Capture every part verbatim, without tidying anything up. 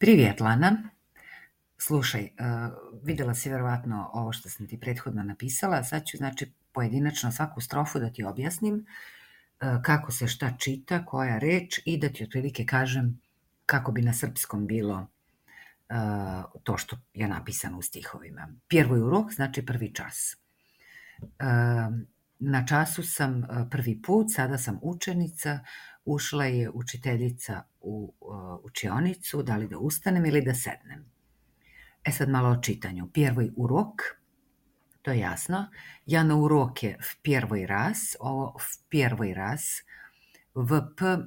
Privet, Lana. Slušaj, uh, videla si verovatno ovo što sam ti prethodno napisala, sad ću znači pojedinačno svaku strofu da ti objasnim uh, kako se šta čita, koja reč i da ti otprilike kažem kako bi na srpskom bilo uh, to što je napisano u stihovima. Prvoj urok znači prvi čas. Uh, na času sam uh, prvi put, sada sam učenica, ušla je učiteljica u uh, učionicu, da li da ustanem ili da sednem. E sad malo o čitanju. Prvoj urok, to je jasno. Ja na uroke v prvoj raz, ovo v prvoj raz, v p,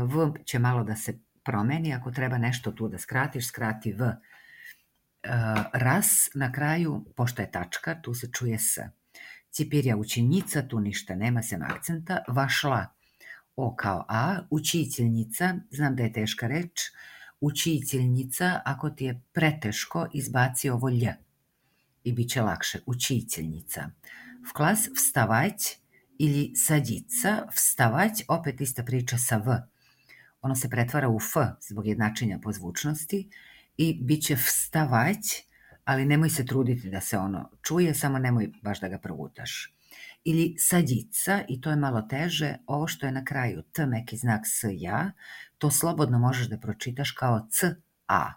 v će malo da se promeni, ako treba nešto tu da skratiš, skrati v. Raz na kraju, pošto je tačka, tu se čuje s. Cipirja učenica, tu ništa nema, sem akcenta. Vašla, o kao a. Učiteljnica, znam da je teška reč. Učiteljnica, ako ti je preteško, izbaci ovo lj i bit će lakše. Učiteljnica. V klas vstavać ili sadica, vstavać, opet ista priča sa v. Ono se pretvara u f zbog jednačenja po zvučnosti i bit će vstavać, ali nemoj se truditi da se ono čuje, samo nemoj baš da ga progutaš. Ili sadica, i to je malo teže, ovo što je na kraju t, meki znak s, ja, to slobodno možeš da pročitaš kao c, a.